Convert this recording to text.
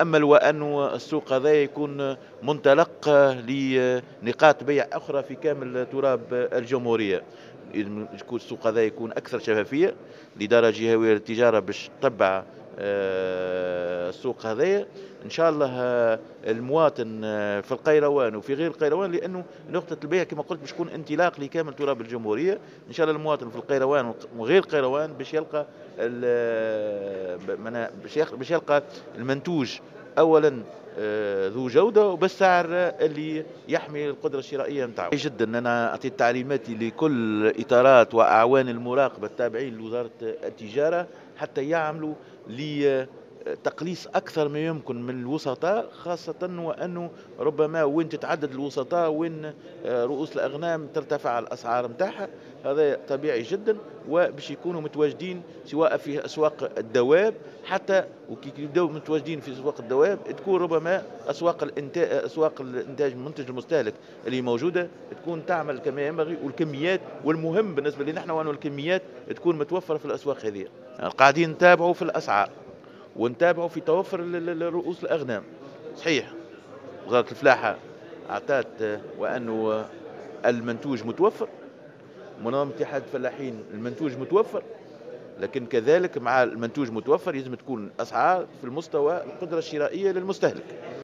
نتامل وانه السوق هذا يكون منطلق لنقاط بيع اخرى في كامل تراب الجمهوريه. يكون السوق هذا يكون اكثر شفافيه، الادارة الجهوية للتجارة باش تتبع السوق هذايا. ان شاء الله المواطن في القيروان وفي غير القيروان، لانه نقطة البيع كما قلت باش تكون انطلاق لكامل تراب الجمهوريه. ان شاء الله المواطن في القيروان وغير القيروان باش يلقى المنتوج اولا ذو جوده وبالسعر اللي يحمي القدرة الشرائية نتاعو. جدا انا اعطيت تعليماتي لكل اطارات واعوان المراقبة التابعين لوزارة التجارة حتى يعملوا لتقليص اكثر ما يمكن من الوسطاء، خاصة وانه ربما وين تتعدد الوسطاء وين رؤوس الاغنام ترتفع الاسعار نتاعها، هذا طبيعي جدا. وباش يكونوا متواجدين سواء في اسواق الدواب، حتى وكي يبداو متواجدين في اسواق الدواب تكون ربما اسواق الانتاج المنتج المستهلك اللي موجودة تكون تعمل كما ينبغي، والكميات، والمهم بالنسبة لنا نحن وانه الكميات تكون متوفرة في الاسواق هذه. قاعدين نتابعوا في الاسعار ونتابعوا في توفر رؤوس الاغنام. صحيح وزارة الفلاحة اعطت وانه المنتوج متوفر، منظمة اتحاد الفلاحين المنتوج متوفر، لكن كذلك مع المنتوج متوفر لازم تكون الاسعار في المستوى القدرة الشرائية للمستهلك.